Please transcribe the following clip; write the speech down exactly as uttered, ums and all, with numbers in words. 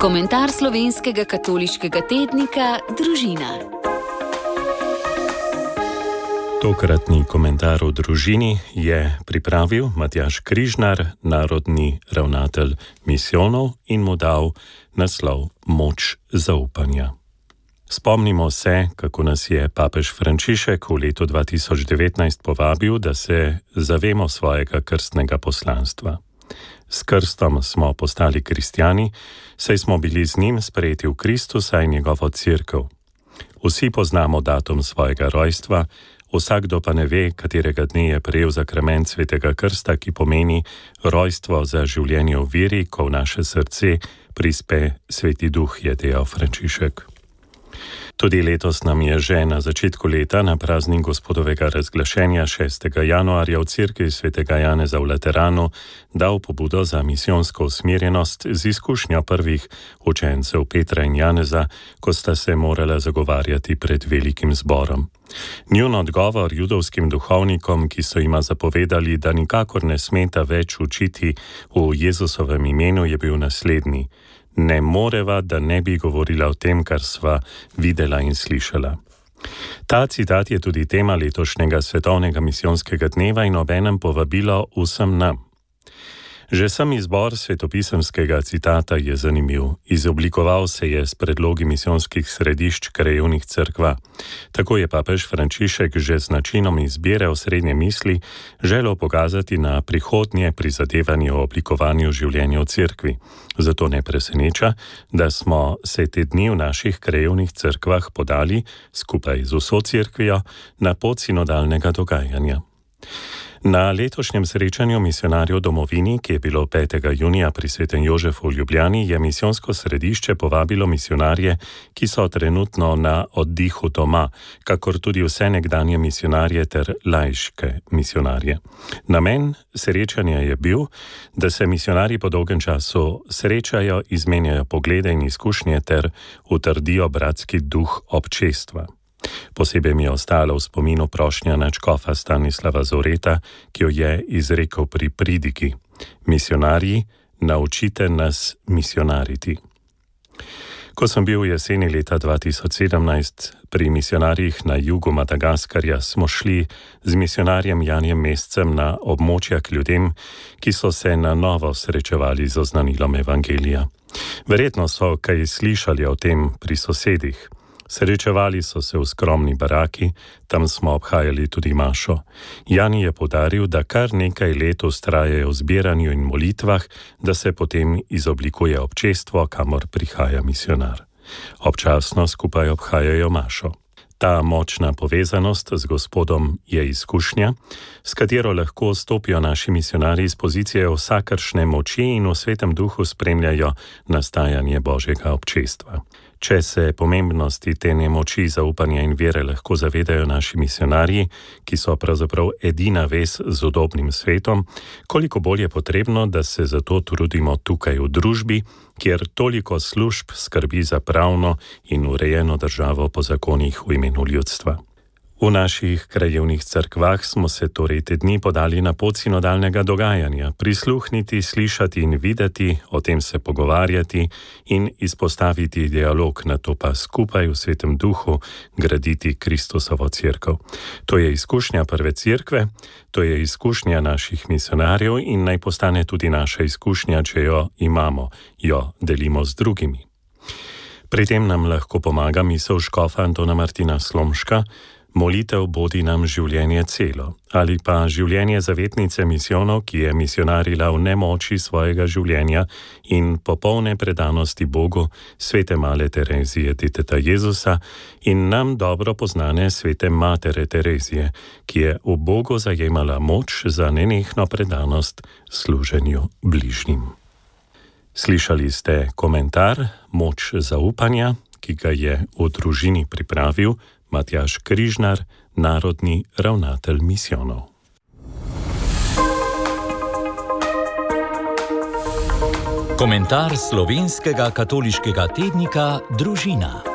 Komentar slovenskega katoliškega tednika Družina. Tokratni komentar o družini je pripravil Matjaž Križnar, narodni ravnatelj misijonov, in mu dal naslov Moč zaupanja. Spomnimo se, kako nas je papež Frančišek v letu dva tisoč devetnajst povabil, da se zavemo svojega krstnega poslanstva. S krstom smo postali kristjani, saj smo bili z njim sprejeti v Kristusa in njegovo cerkev. Vsi poznamo datum svojega rojstva, vsakdo pa ne ve, katerega dne je prejel zakrament svetega krsta, ki pomeni rojstvo za življenje v veri, ko v naše srce prispe Sveti Duh, je dejal Frančišek. Tudi letos nam je že na začetku leta, na praznik Gospodovega razglašenja šestega januarja v cerkvi svetega Janeza v Lateranu, dal pobudo za misijonsko usmerjenost z izkušnjo prvih učencev Petra in Janeza, ko sta se morala zagovarjati pred velikim zborom. Njun odgovor judovskim duhovnikom, ki so jima zapovedali, da nikakor ne smeta več učiti v Jezusovem imenu, je bil naslednji: ne moreva, da ne bi govorila o tem, kar sva videla in slišala. Ta citat je tudi tema letošnjega svetovnega misijonskega dneva in obenem povabilo vsem nam. Že sam izbor svetopisemskega citata je zanimiv. Izoblikoval se je s predlogi misijonskih središč krajevnih cerkva. Tako je papež Frančišek že z načinom izbire osrednje misli želel pokazati na prihodnje prizadevanje o oblikovanju življenja v cerkvi. Zato ne preseneča, da smo se te dni v naših krajevnih cerkvah podali, skupaj z vso cerkvijo, na pot sinodalnega dogajanja. Na letošnjem srečanju misijonarjev domovini, ki je bilo petega junija pri Svetem Jožefu v Ljubljani, je misijonsko središče povabilo misijonarje, ki so trenutno na oddihu doma, kakor tudi vse nekdanje misijonarje ter laiške misijonarje. Namen srečanja je bil, da se misijonarji po dolgem času srečajo, izmenjajo poglede in izkušnje ter utrdijo bratski duh občestva. Posebej mi je ostalo v spominu prošnja nadškofa Stanislava Zoreta, ki jo je izrekel pri pridigi: misijonarji, naučite nas misijonariti. Ko sem bil v jeseni leta dva tisoč sedemnajst pri misijonarjih na jugu Madagaskarja, smo šli z misijonarjem Janijem Mescem na območja k ljudem, ki so se na novo srečevali z oznanilom evangelija. Verjetno so kaj slišali o tem pri sosedih. Srečevali so se v skromni baraki, tam smo obhajali tudi mašo. Jani je poudaril, da kar nekaj let vztrajajo v zbiranju in molitvah, da se potem izoblikuje občestvo, kamor prihaja misijonar. Občasno skupaj obhajajo mašo. Ta močna povezanost z Gospodom je izkušnja, s katero lahko stopijo naši misijonarji iz pozicije vsakršne moči in v Svetem Duhu spremljajo nastajanje Božjega občestva. Če se pomembnosti te nemoči, zaupanja in vere lahko zavedajo naši misijonarji, ki so pravzaprav edina vez z udobnim svetom, koliko bolj je potrebno, da se zato trudimo tukaj v družbi, kjer toliko služb skrbi za pravno in urejeno državo po zakonih v imenu ljudstva. V naših krajevnih cerkvah smo se torej te dni podali na pot sinodalnega dogajanja, prisluhniti, slišati in videti, o tem se pogovarjati in izpostaviti dialog, nato pa skupaj v Svetem Duhu graditi Kristusovo cerkev. To je izkušnja prve cerkve, to je izkušnja naših misijonarjev in naj postane tudi naša izkušnja, če jo imamo, jo delimo z drugimi. Pri tem nam lahko pomaga misel škofa Antona Martina Slomška: molitev bodi nam življenje celo, ali pa življenje zavetnice misijonov, ki je misijonarila v nemoči svojega življenja in popolne predanosti Bogu, svete male Terezije, deteta Jezusa, in nam dobro poznane svete matere Terezije, ki je v Bogu zajemala moč za nenehno predanost služenju bližnjim. Slišali ste komentar Moč zaupanja, ki ga je v družini pripravil Matjaž Križnar, narodni ravnatelj misijonov. Komentar slovenskega katoliškega tednika Družina.